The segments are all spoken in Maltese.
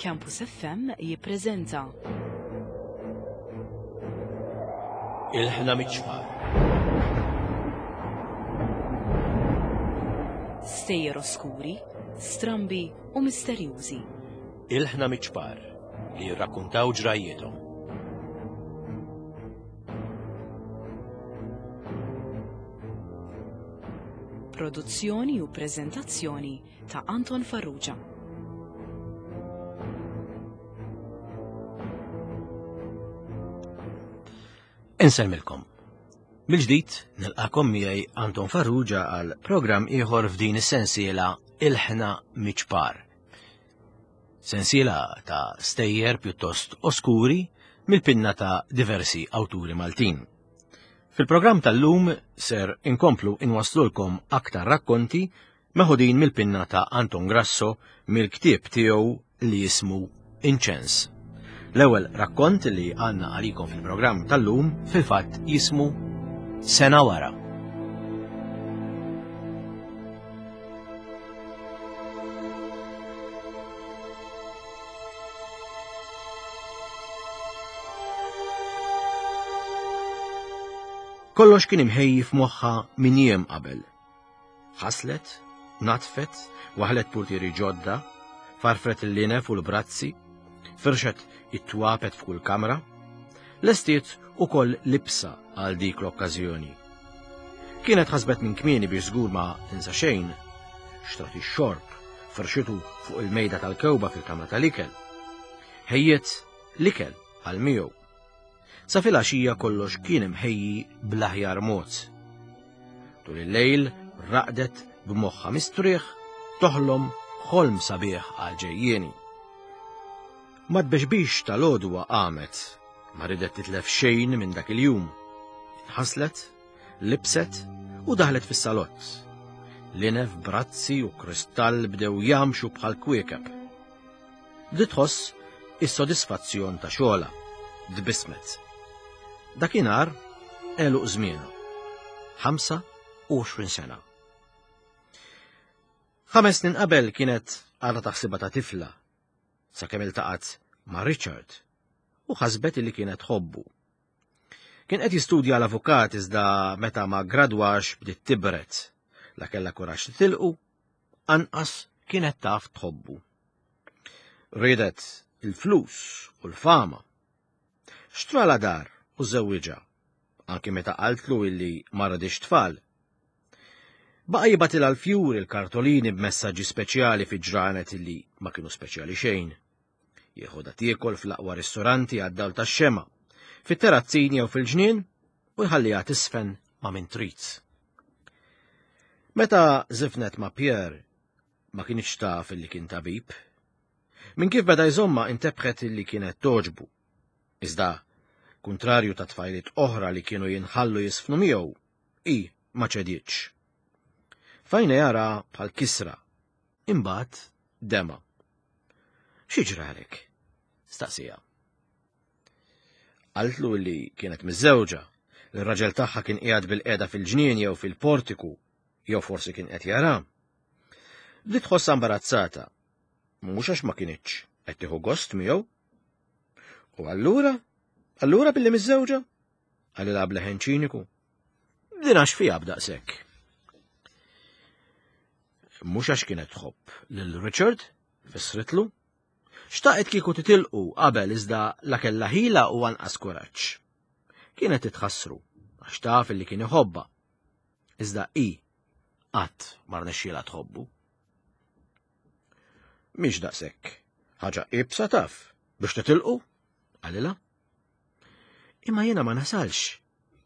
Campus FM jippreżenta. Il-ħna miċ-ċpar. Stejjer oskuri, strambi u misterjużi. Il-ħna miċ-ċpar li jirrakkuntaw ġrajjiethom. Produzzjoni u preżentazzjoni ta' Anton Farrugia. Insellmilkom. Mill-ġdid nilqakom miegħi Anton Farrugia għal programm ieħor f'din is-sensiela Il-ħna miċpar. Sensiela ta' stejjer pjuttost oskuri mill-pinna ta' diversi awturi Maltin. Fil-programm tal-lum ser inkomplu inwaslulkom aktar rakkonti meħudin mill-pinna ta' Anton Grasso mill-ktieb tiegħu li jismu Inċens. L-ewwel rakkont li għandna għalikom fil-programm tal-lum fil-fatt jismu Sena wara. Kollox kien imħejji f'moħħa minn jiem qabel. Ħaslet, natfet, waħlet purtieri ġodda, farfret il-linef u l-brazzi, firxet it-twapet f'kull kamra, lestiet ukoll libsa għal dik l-okkażjoni. Kienet ħasbet minn kmieni biex żgur ma tinsa xejn, xtrat ix-xorb, firxitu fuq il-mejda tal-kewba fil-kamra tal-ikel. Ħejjiet l-ikel għal miegħu. Sa filgħaxija kollox kien imħejji bl-aħjar mod. Tul il-lejl raqdet b'moħħa mistrieħ toħlom ħolm sabiħ għal ġejjieni. Ma tbexbix tal-għodwa qamet, ma ridet titlef xejn minn dak il-jum. Inħaslet, libset u daħlet fis-salott. Linef, brazzi u kristall bdew jamxu bħal kwiekeb. Bdiet tħoss is-sodisfazzjon ta' xogħolha. Tbissmet. Dakinhar għeluq żmienha. 25 sena. Ħames snin qabel kienet għadha taħsibha ta' tifla sakemm iltaqgħet ma' Richard u ħasbet li kienet tħobbu. Kien qed jistudja l-avukat iżda meta ma gradwax bdiet tibret. La kellha kuraġġ titilqu, anqas kienet taf tħobbu. Riedet il-flus u l-fama. Xtrala dar u żewwiġha, anki meta qaltlu illi ma radix tfal. Baqa' jibatilha l-fjuri l-kartolini b'messaġġi speċjali fi ġranet illi ma kienu speċjali xejn. Jeħodha tiekol fl-aqwa ristoranti għad-dawl tax-xema, fit-terazzin jew fil-ġnien u jħalliha tisfen ma' min trid. Meta żifnet ma' Pierre ma kienx taf illi kien tabib. Minn kif beda jżomma intebħet illi kienet toġbu. Iżda, kuntrarju ta' tfajliet oħra li kienu jinħallu jisfnu miegħu, i ma ċedietx. Fajna jara bħal kisra, imbagħad dema. Xi ġralek? Staqsija. Qaltlu li kienet miżżewġa, li r-raġel tagħha kien qiegħed bil-qiegħda fil-ġnien jew fil-portiku, jew forsi kien qed jara. Bdiet tħossha imbarazzata, mhux għax ma kinitx qed tieħu gost miegħu. U allura, allura billi miżżewġa? Qalilha b'leħen ċiniku. Din għax fiha b'daqshekk. Mhux għax kienet tħobb lil Richard, fissritlu. Xtaqet kieku titilqu qabel iżda la kellha ħila u anqas kuraġġ. Kienet titħassru għax taf li kien iħobbha. Iżda hi qatt ma rnexxielha tħobbu. Mhix daqshekk. Ħaġa iebsa taf biex titilqu, qalilha. Imma jiena ma nasalx,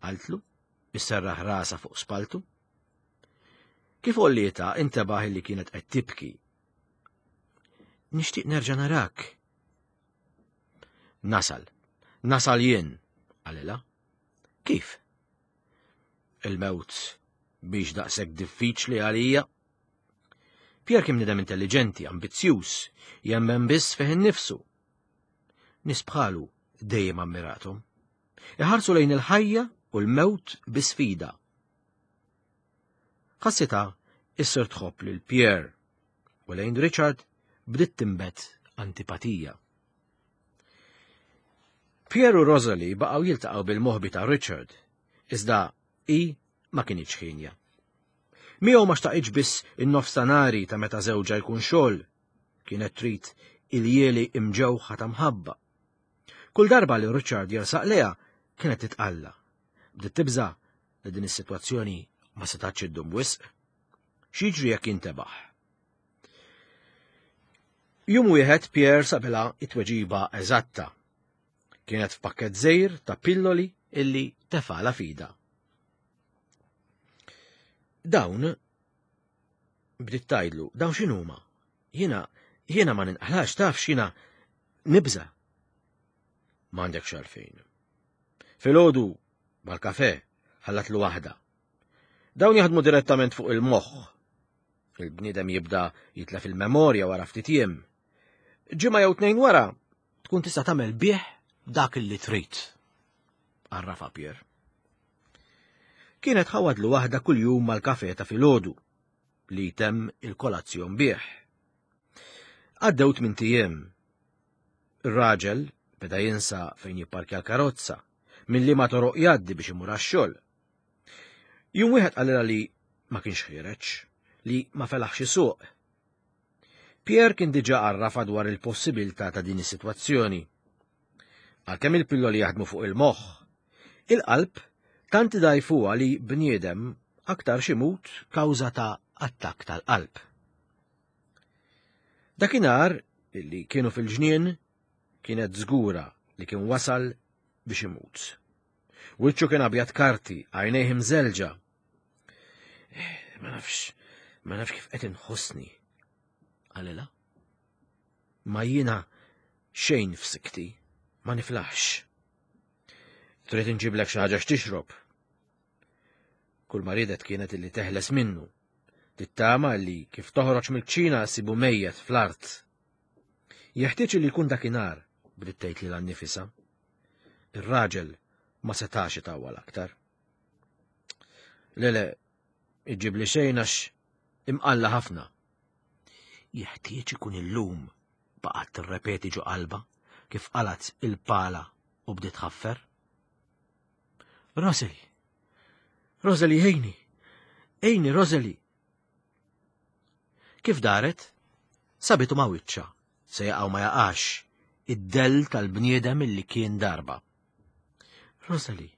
qaltlu, isserraħ rasa fuq spaltu. Kif ollieta intebaħ li kienet qed tibki. Nixtieq nerġa' narak. Nasal, nasal jien, qalilha. Kif? Il-mewt biex daqshekk diffiċli għalija. Pierre kien bniedem intelligenti, ambizzjuż, jemmen biss fih innifsu. Nies bħalu dejjem ammirathom. Iħarsu lejn il-ħajja u l-mewt bi sfida. Ħassitha issir tħobb lil Pierre u lejn Richard bdiet tinbet antipatija. Pierre u Rosalie baqgħu jiltaqgħu bil-moħbi ta' Richard, iżda hi ma kinitx ħinja. Miegħu ma xtaqitx biss in-nofstanari ta' meta żewġha jkun xogħol, kienet trid iljieli imġewħa ta' mħabba. Kull darba li Richard jersaq lejha kienet titqalla. Bdiet tibża' li din is-sitwazzjoni ma setgħetx iddum wisq. X'jiġri jekk jintebaħ? Jum wieħed Pierre sabilha it-tweġiba eżatta. Kienet f'pakket żgħir ta' pilloli illi tefala fida. Dawn bdiet tgħidlu, dawn x'inhuma? Jiena jiena ma ninqalax taf x'jiena nibża. M'għandek xalfejn. Filgħodu mal-kafe ħallatlu waħda. Dawn jaħdmu direttament fuq il-moħħ. Il-bniedem jibda jitlef il-memorja wara ftit jiem. Ġimgħa jew tnejn wara tkun tista' tagħmel bih dak li trid. Arrafa Pier. Kienet ħawadlu waħda kuljum mal-kafe ta' filgħodu li jtemm il-kolazzjon bih. Għaddew tmint ijiem. Ir-raġel beda jinsa fejn jipparkja l-karozza, minn liema toroq jgħaddi biex imur għax-xogħol. Jum wieħed qalilha li ma kienx ħiereġ, li ma felaħx isuq. Pierre kien diġà għarrafa dwar il-possibilità ta' din is-sitwazzjoni. Għalkemm il-pilloli jaħdmu fuq il-moħħ, il-qalb tant idgħajfuha li bniedem aktar ximut kawża ta' attakk tal-qalb. Dakinhar li kienu fil-ġnien kienet żgura li kien wasal biex imut. Wiċċu kien abjad karti, għajnejh imżelġa. Eh, ma nafx, ma nafx kif qed inħossni. Qalilha. Ma jiena xejn f'sikti, ma niflaħx. Trid inġiblek xi ħaġa x'tixrob. Kull ma riedet kienet illi teħles minnu. Tittama li kif toħroġ mill-kċina sibu mejjet fl-art. Jeħtieġ li jkun dakinhar, bdiet tgħid lilha nnifisha. Ir-raġel ma setax itawwal aktar. Le le, iġġibli xejn għax imqalla ħafna. Jeħtieġ ikun illum, baqgħet tirrepeti ġo qalba kif qalat il-pala u bdiet tħaffer. Roseli! Roseli, ejni! Ejni, Roseli! Kif daret? Sabitu ma' wiċċa, se jaqgħu ma jaqax, id-dell tal-bniedem illi kien darba. Rosali,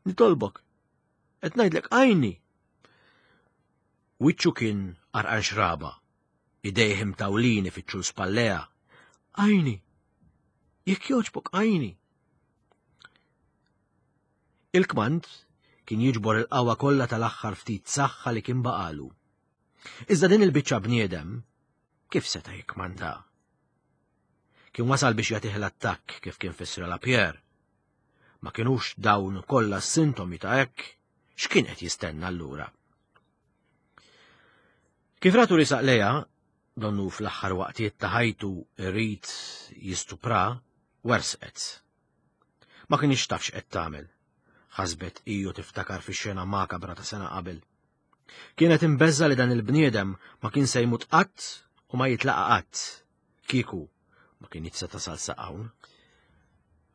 nitolbok, qed ngħidlek għajni. Wiċċu kien għarqan xraba, idejh imtawlin ifittxu l-spallea. Għajni, jekk jogħġbok għajni. Il-kmand kien jiġbor il-qawwa kollha tal-aħħar ftit saħħa li kien baqalu. Iżda din il-biċċa bniedem kif seta' jikkmanda? Kien wasal biex jagħtih l-attakk kif kien fissra la Pierre. Ma kinux dawn kollha s-sintomi ta' hekk, x'kien qed jistenna allura? Kif ratu risaq leja, donnu fl-aħħar waqtiet ta' ħajtu irid jistupra, wersqet. Ma kienx taf x'qed tagħmel. Ħasbet iju tiftakar fix-xena makabra ta' sena qabel. Kienet imbeżża li dan il-bniedem ma kien se jmut qatt u ma jitlaqa qatt. Kieku ma kien se tasal sa hawn.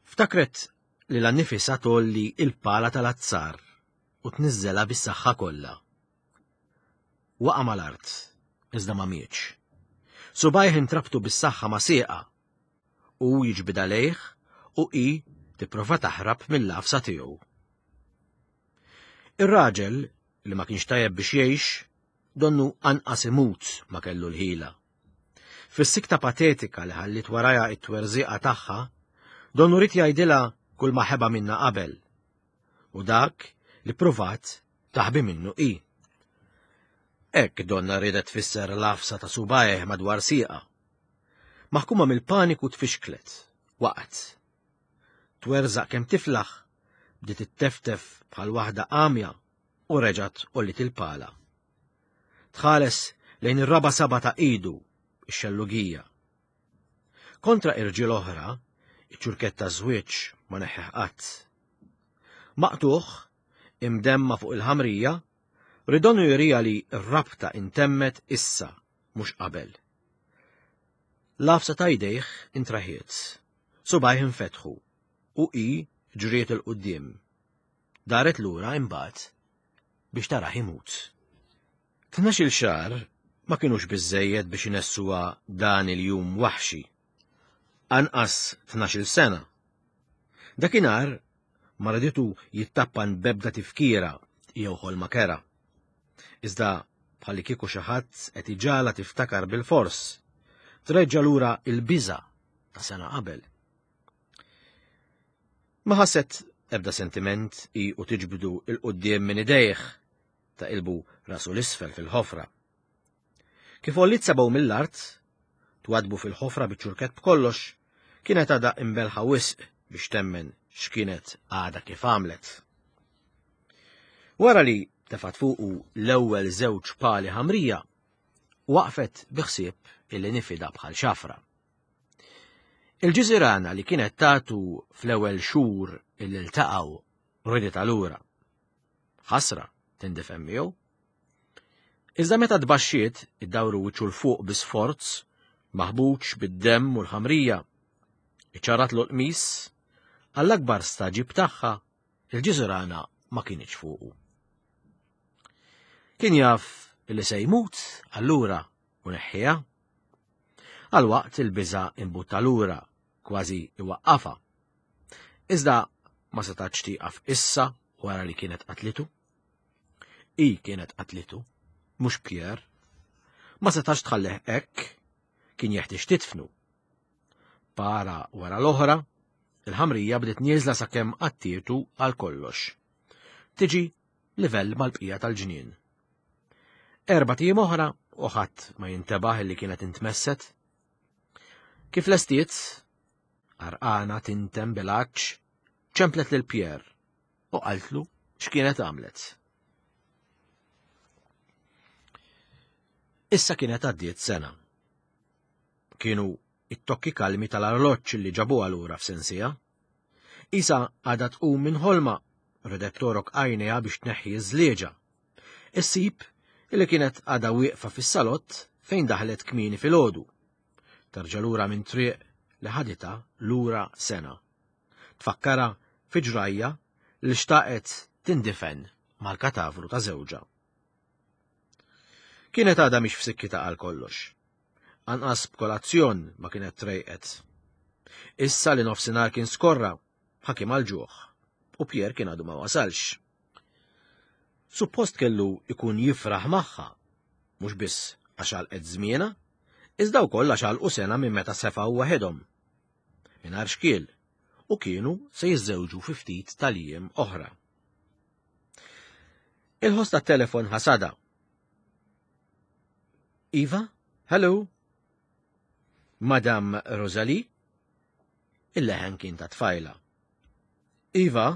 Ftakret li l-annifisa tolli il-pala tal-azzar u tniżżela bis-saħħa kollha. Waqa' mal-art, iżda ma mietx. Subajh intrabtu bis-saħħa ma' sieqa Hu jiġbidha lejh u hi tipprova taħrab mill-għafsa tiegħu. Ir-raġel, li ma kienx tajjeb biex jgħix, donnu anqas imut ma kellu l-ħila. Fis-sikta patetika li ħalliet warajha it-twerżiqa tagħha, donnu rid jgħidilha kull ma ħeba minna qabel. U dak li pruvat taħbi minnu hi. Hekk donna riedet tfisser l-għafsa ta' subajh madwar sieqa. Maħkuma mill-paniku tfixklet, waqgħet. Twerżaq kemm tiflaħ, bdiet itteftef bħal waħda għamja u reġgħet għolliet il-pala. Tħares lejn ir-raba' saba' ta' idu, ix-xellugija. Kontra irġiel oħra, iċ-ċurkett taż-żwieġ ma neħħih qatt. Maqtugħ, imdemma fuq il-ħamrija, ridonu jurija li r-rabta intemmet issa, mhux qabel. L-għafsa ta' jdejh intraħiet, subgħajh infetħu u hi ġriet 'il quddiem. Daret lura imbagħad biex tarah imut. 12-il xahar ma kinux biżżejjed biex inessuha dan il-jum waħxi. Anqas 12-il sena. Dakinhar ma raditu jittappan b'ebda tifkira jew ħolma kerha. Iżda bħalli kieku xi ħadd qed iġagħalha tiftakar bilfors, treġġa' lura l-biża' ta' sena qabel. Ma ħasset ebda sentiment hi u tiġbdu 'l quddiem minn idejh ta' ilbu rasu l-isfel fil-ħofra. Kif għolliet sebgħu mill-art, twadbu fil-ħofra biċ-ċurkett b'kollox, kienet għadha imbelħa wisq biex temmen x'kienet għadha kif għamlet. Wara li tefat fuqu l-ewwel żewġ pali ħamrija, waqfet bi ħsieb illi nifida bħal xafra. Il-ġiżirana li kienet tatu fl-ewwel xhur illi ltaqgħu riditha lura. Ħasra tindifen miegħu. Iżda meta tbaxxiet iddawru wiċċu 'l fuq bi sforz, maħbuġ bid-demm u l-ħamrija, iċċarratlu l-qmis, għall-akbar stagħġib tagħha, il-ġiżirana ma kinitx fuqu. Kien jaf li se jmut allura u neħħiha. Għal waqt il-biża' imbutta lura, kważi iwaqqafha. Iżda ma setgħetx tieqaf issa wara li kienet qatlitu. Hi kienet qatlitu, mhux Pierre. Ma setax tħallih hekk, kien jeħtieġ titfnu. Para wara l-oħra, il-ħamrija bdiet nieżla sakemm qattietu għal kollox. Tiġi livell mal-bqija tal-ġnien. Erbat ijiem oħra u ħadd ma jintebaħ li kienet intmesset. Kif lestiet, għarqana tintem bil-għatx, ċemplet lil Pierre u qaltlu x'kienet għamlet. Issa kienet għaddiet sena. Kienu it-tokki kalmi tal-arloġġ li ġabuha lura f'sensija. Isa għadha tqum minn ħolma, redet torok għajnejha biex tneħħi ż-żlieġa. Issib li kienet għadha wieqfa fis-salott fejn daħlet kmieni filgħodu. Terġa' lura minn triq li ħaditha lura sena. Tfakkarha fi ġrajja li xtaqet tindifen mal-katavru ta' żewġha. Kienet għadha mhix f'sikkitha għal kollox. Anqas b'kolazzjon ma kienet trejqet. Issa li nofsinhar kien skorra, ħakim għal ġuħ, u Pierre kien għadu ma wasalx. Suppost kellu jkun jifraħ magħha, mhux biss għax għalqet żmienha, iżda wkoll għax għalqu sena minn meta sefgħu waħedhom. Mingħajr xkiel, u kienu se jiżżewġu fi ftit tal-jiem oħra. Il-ħoss tat-telefon ħasada. Iva, hello. Madam Rosalie? Il-leħen kien ta' tfajla. Iva,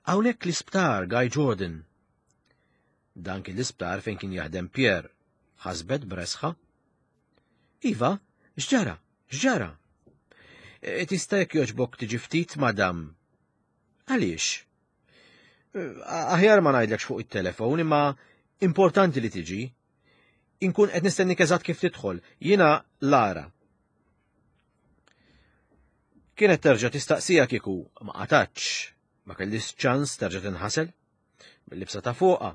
hawnhekk l-isptar Guy Jordan. Dan kien l-isptar fejn kien jaħdem Pierre, ħasbet bresħa. Iva, x'ġara? X'ġara? E, tista' jekk jogħġbok tiġi ftit, madam. Għaliex? E, aħjar ma ngħidlekx fuq it-telefon, imma importanti li tiġi. Inkun qed nistennik eżatt kif tidħol. Jiena Lara. Kienet terġa' tistaqsija kieku ma qatgħatx, ma kellix ċans terġa' tinħasel. Bil-libsa ta' fuqha,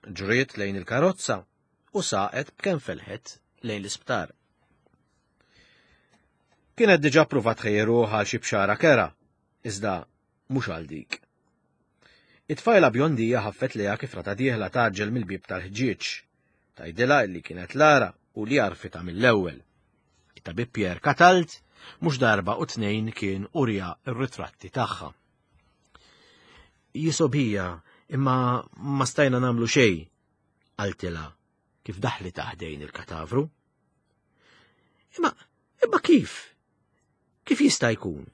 ġriet lejn il-karozza u saqet b'kemm felħet lejn l-isptar. Kienet diġà pruvat tħejji għal xi bxara kera, iżda mhux għal dik. It-tfajla bjondija ħaffet lejha kif rata dieħla tgħaġġel mill-bieb tal-ħġieġ. Tgħidilha li kienet Lara u li għarfitha mill-ewwel. It-tabib Pierre Catalt mhux darba u tnejn kien urija r-ritratti tagħha. Jisobija imma ma stajna nagħmlu xejn, qaltilha kif daħlitha ħdejn il-katavru. Imma, imma kif? Kif jista' jkun?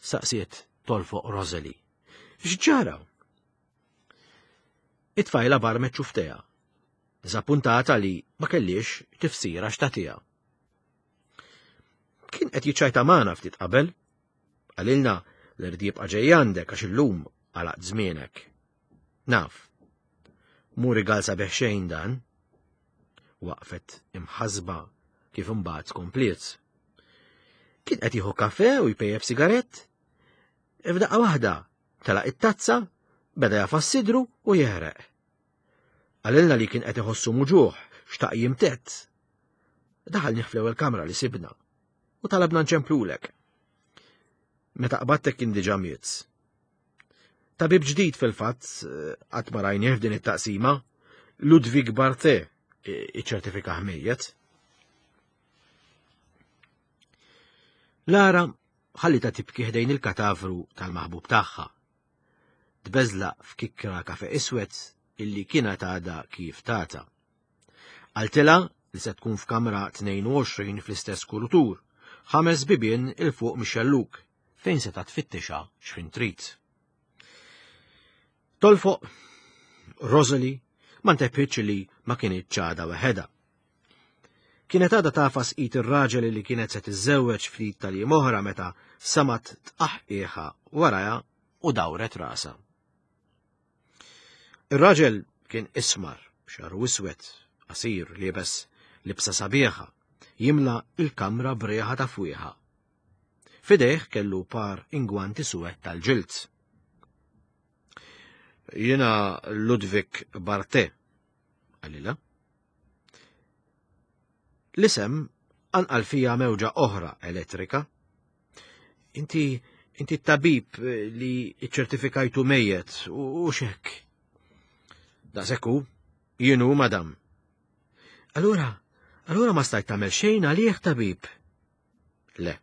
Saqsiet tolfoq Rosalie. X'ġara? It-tfajla barmet ċufteha, diżappuntata li ma kellix tifsira x'tagħtiha. Kien qed jiċċajta magħna ftit qabel. Qalilna li rrid jibqa' ġej għandek għax illum għalaqt żmienek. Naf. Mhu rigal sabiħ xejn dan. Waqfet imħasba. kif imbagħad kompliet. Kien qed jieħu kafe u jpejjep sigarett. F'daqqa waħda telaq it-tazza, beda jafas sidru u jeħreq. Qalilna li kien qed iħossu muġuħ, xtaq jimtett. Daħal fl-ewwel kamra li sibna u talabna nċemplulek. Meta qbadtek kien diġà miet. Tabib ġdid fil-fatt qatt ma rajnieh f'din it-taqsima, Ludwig Barthe iċċertifika mejjet. Lara ħallita tibki ħdejn il-katavru tal-maħbub tagħha. Tbeżlaq f'kikkra kafe iswed illi kienet għadha kif tata. Qaltilha li se tkun f'kamra 22 fl-istess kurutur, ħames bibien 'il fuq mix-xellug, fejn seta' tfittixha x'ħin trid. Tolfoq, Rosalie ma ntebħitx li ma kinitx għadha weħedha. Kienet għadha tagħfas id ir-raġel li kienet se tiżżewweġ ftit tal-jiem oħra meta samat tqaħqiħa warajha u dawret rasha. Ir-raġel kien ismar, xaru iswed, qasir, liebes libsa sabiħa, jimla il-kamra b'riħa ta' fwieħa. Fidejh kellu par ingwanti suwed tal-ġild. Jiena Ludwig Barthe, qalilha. L-isem anqal fija mewġa oħra elettrika. Inti inti t-tabib li ċertifikajtu mejjet u xek. Daqshekk hu, jien hu madam. Allura, allura ma stajt tagħmel xejn għalih tabib. Le.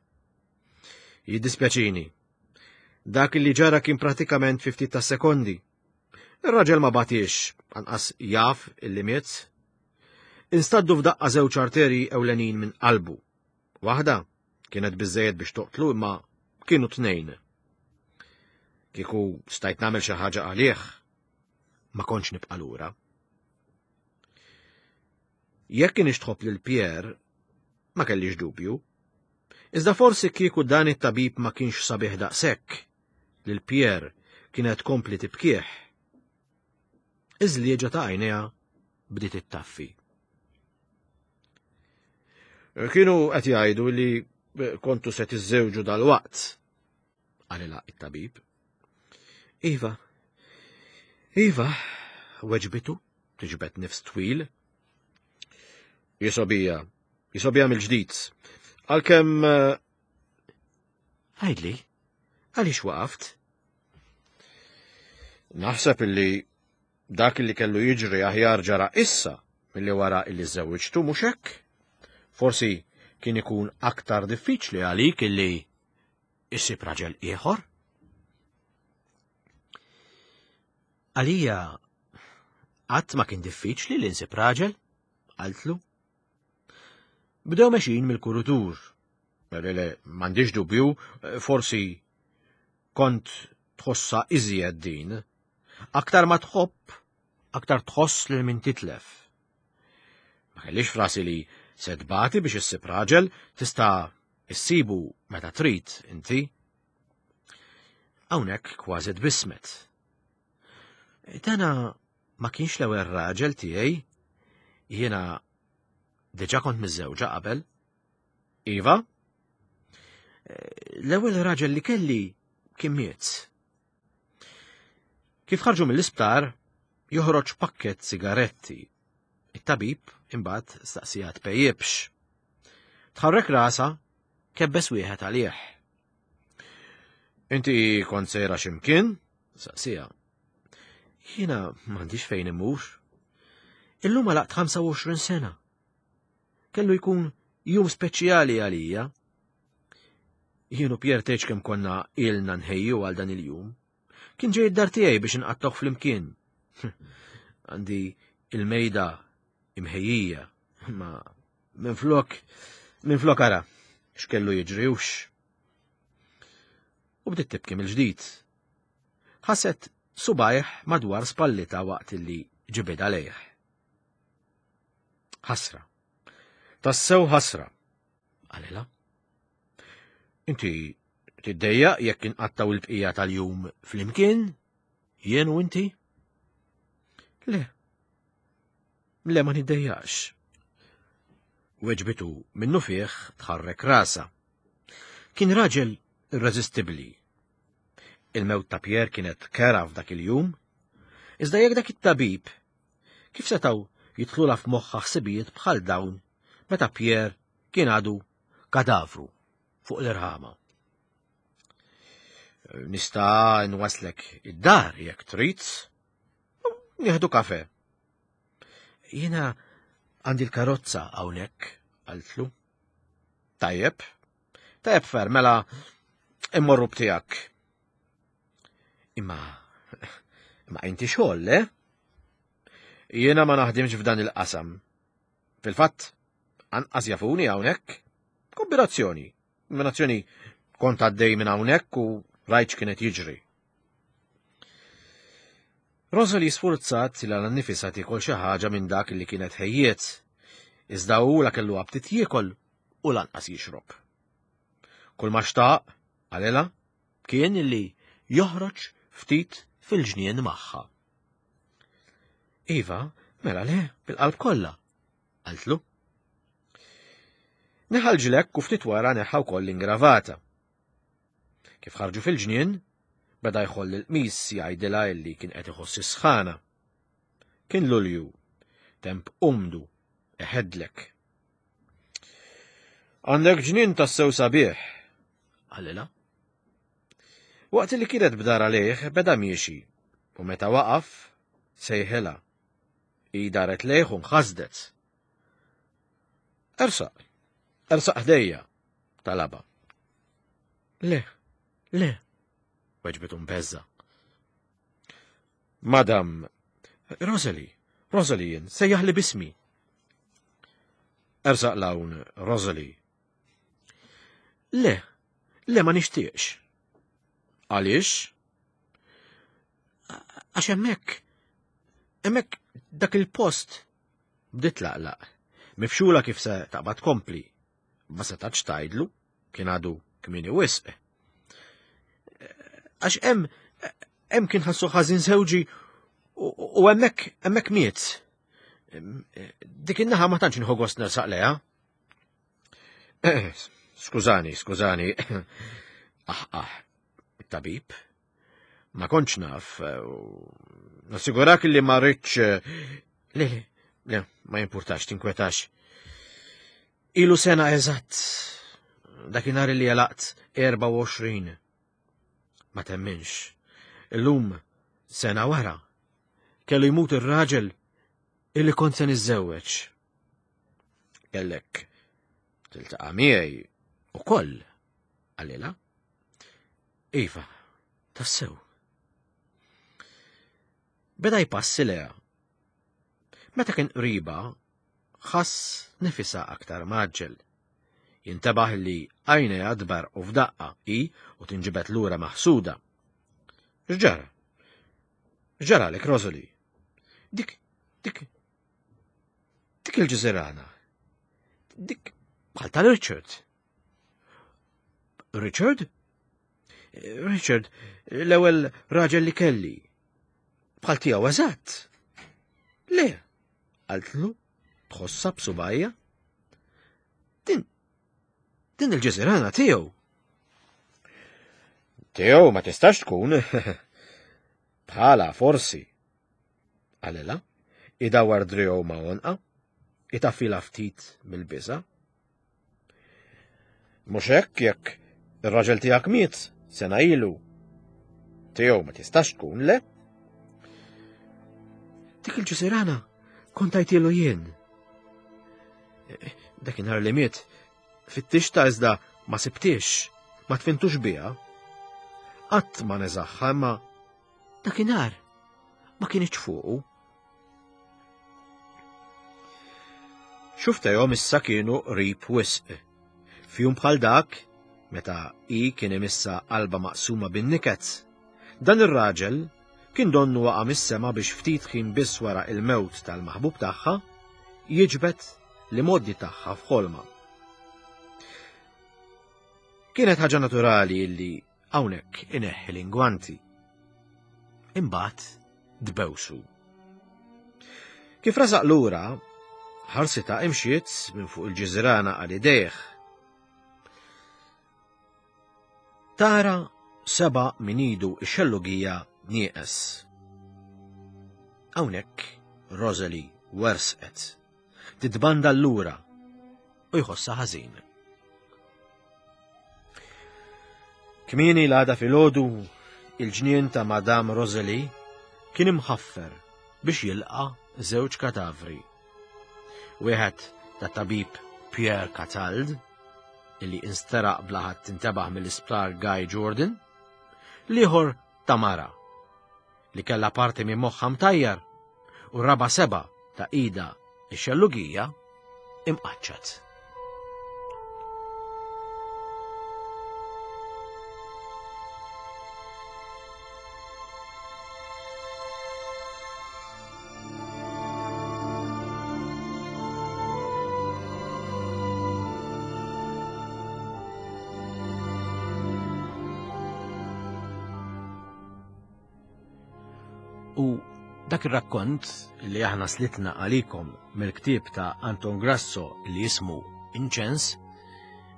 Jiddispjaċini. Dak li ġara kien pratikament fi ftit ta' sekondi. Ir-raġel ma batiex, anqas jaf illi miet. Instaddu f'daqqa żewġ arterji ewlenin minn qalbu. Waħda kienet biżejjed biex toqtlu imma kienu tnejn. Kieku stajt nagħmel xi ħaġa għalih, ma kontx nibqa' lura. Jekk kienx tħobb lil Pierre, ma kellix dubju. Iżda forsi kieku dan it-tabib ma kienx sabiħ daqshekk, lil Pierre kienet tkompli tibkih. Iż-żlieġa ta' għajnejha bdiet ittaffi. Kienu qed jgħidu li kontu se tiżżewġu dal-waqt, qalilha it-tabib. Iva, Iva, weġbitu, tiġbed nifs twil. Jisobija, jisobija mill-ġdid. Għalkemm eh, Għidli, għaliex waqaft? Naħseb illi dak illi kellu jiġri aħjar ġara issa milli wara illi żewwiġtu mhux hekk? Forsi kien ikun aktar diffiċli għalik illi issib raġel ieħor? Għalija qatt ma kien diffiċli li nsib raġel, qaltlu. Bdew mexin mill-kurutur. Le, le, m'għandix dubju, forsi kont tħossa iżjed din. Aktar ma tħobb, aktar tħoss lil min titlef. Ma kellix frasi li se tbati biex issib raġel tista' issibu meta trid inti. Hawnhekk kważi tbissmet. Dana ma kienx l-ewwel raġel tiegħi. Jiena diġà kont miżżewġa qabel. Iva? L-ewwel raġel li kelli kien miet. Kif ħarġu mill-isptar, joħroġ pakket sigaretti. It-tabib imbagħad staqsija tpejjibx. Tħarrek rasa, kebbes wieħed għalih. Inti kont sejra x'imkien? Saqsija. Jiena m'għandix fejn immur. Illum għalaqt 25 sena. Kellu jkun jum speċjali għalija. Jien u Pierre tgħidx kemm konna ilna nħejju għal dan il-jum. Kien ġej id-dar tiegħi biex inqattgħu flimkien. Għandi il-mejda imħejjija, ma minflok minflok ara x'kellu jiġri hux. U bdiet tibki mill-ġdid. Ħasset subajh madwar spallita waqt li ġibidha lejh. Ħasra. Tassew ħasra, qalilha. Inti tiddejjaq jekk inqattaw il-bqija tal-jum flimkien? Jien u inti? Le. Le ma niddejjaqx. Weġbitu minnufih tħarrek rasha. Kien raġel irreżistibbli. Il-mewt ta' Pierre kienet kera f'dak il-jum, iżda jekk dak it-tabib kif setgħu jidħlulha f'moħħha ħsibijiet bħal dawn meta Pierre kien għadu kadavru fuq l-irħama. Nista' nwaslek id-dar jekk trid. Nieħdu kafe. Jiena għandi l-karozza hawnhekk, qaltlu. Tajjeb, tajjeb fer, mela immorru b'tiegħek. Imma, imma inti xogħol, le? Jiena ma naħdimx f'dan il-qasam. Fil-fatt, anqas jafuni hawnhekk. Kombinazzjoni. Kombinazzjoni kont għaddej minn hawnhekk u rajt x'kienet jiġri. Rosalie sfurzat li għal nifisha tiekol xi ħaġa minn dak li kienet ħejjiet. Iżda hu la kellu aptit jiekol u lanqas jixrob. Kull ma xtaq, qalilha, kien li joħroġ ftit fil-ġnien magħha. Iva, mela le, bil-qalb kollha, qaltlu. Neħa l-ġlekk u ftit wara neħa wkoll l-ingravata. Kif ħarġu fil-ġnien, beda jħoll il-qmis jgħidilha illi kien qed iħoss is-sħana. Kien Lulju, temp umdu, iħeddlek. Għandek ġnien tassew sabiħ, qalilha. Waqt li kienet b'dar għalih beda miexi u meta waqaf sejħilha. Hi daret lejh u nħasdet. Ersaq, ersaq ħdejja, talaba. Le, le, weġbitu mbeżza. Madam, Rosalie, Rosalie jien, sejjaħli bismi. Ersaq lawn, Rosalie. Le, le ma nixtieqx. Għaliex? Għax hemmhekk, hemmhekk dak il-post bdiet laqlaq. Mifxula kif se taqbad kompli. Ma setax tgħidlu, kien għadu kmieni wisq. Għax hemm hemm kien ħassu ħażin żewġi u hemmhekk hemmhekk miet. Dik in-naħa ma tantx nħu gost nersaq leha. Skużani, skużani. Ah, ah, tabib. Ma kontx naf. Eh, nassigurak li ma rridx. Eh, le, le, le, ma jimpurtax, tinkwetax. Ilu sena eżatt. Dakinhar li għalaqt 24. Ma temminx. Illum sena wara. Kellu jmut ir-raġel illi kont se niżżewweġ. Kellek tiltaqa' miegħi ukoll, qalilha. Iva, tassew. Beda jpassi leha. Meta kien qriba, ħass nifisha aktar maġġel. Jintebaħ li għajnejha tberqu f'daqqa hi u tinġibed lura maħsuda. X'ġara? X'ġaralek, Rosalie? Dik, dik, Dik il-ġiżirana. Dik bħal tal-Richard. Richard? Richard, l-ewwel raġel li kelli. Bħal tiegħu eżatt. Le, qaltlu, tħossha b'subajja. Din din il-ġiżirana tiegħu. Tiegħu ma tistax tkun. Bħala forsi. Qalilha, idawwar driegħu ma' għonqha, itaffilha ftit mill-biża'. Mhux hekk jekk ir-raġel tiegħek miet sena ilu. Tiegħu ma tistax tkun le. Dik il-ġisirana kont għajtilu jien. Dakinhar li miet fittixta iżda ma sibtix, ma tfintux biha. Qatt ma neżaħħa imma Dakinhar ma kienx fuqu. Xuftejhom issa kienu qrib wisq. F'jum bħal dak, meta hi kien imissa qalba maqsuma bin-niket, dan ir-raġel kien donnu waqa' mis-sema biex ftit ħin biss wara il-mewt tal-maħbub tagħha jiġbed l-imgħoddi tagħha f'ħolma. Kienet ħaġa naturali li Hawnhekk ineħħi l-ingwanti. Imbagħad dbewsu. Kif rasaq lura, ħarsitha imxiet minn fuq il-ġiżirana għal idejh. Tara seba' minn idu x-xellugija nieqes. Hawnhekk Rosalie wersqet, titbanda lura u jħossha ħażin. Kmieni l-għada filgħodu, il-ġnien ta' Madame Rosalie kien imħaffer biex jilqa' żewġ katavri. Wieħed ta' tabib Pierre Catald, illi insteraq bla ħadd intebaħ mill-isptar Guy Jordan, l-ieħor ta' mara li kellha parti minn moħħha mtajjar u raba' seba' ta' ida ix-xellugija imqaċċat. U dak ir-rakkont li aħna slitna għalikom mill-ktieb ta' Anton Grasso li jismu Inċens,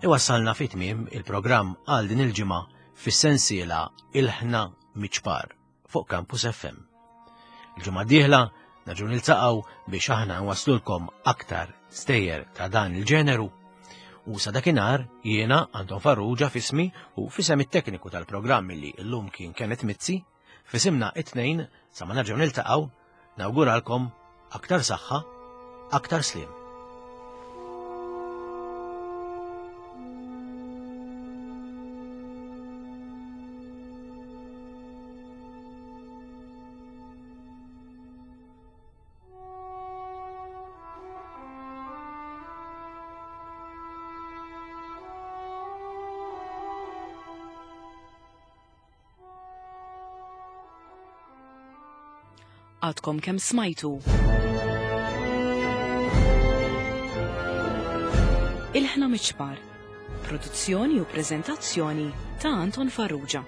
iwassalna fi tmiem il-programm għal din il-ġimgħa fis-sensiela Ilħna Miċpar fuq Campus FM. Il-ġimgħa d-dieħla nerġgħu niltaqgħu biex aħna nwaslulkom aktar stejjer ta' dan il-ġeneru u sa dakinhar jiena Anton Farrugia fismi u fisem it-tekniku tal-programm li llum kien Kenneth Mizzi F'isimna it-tnejn, sa ma nerġgħu niltaqgħu, nawguralkom aktar saħħa, aktar sliem. Għadkom kemm smajtu. Il-ħna miċpar. Produzzjoni u prezentazzjoni ta' Anton Farrugia.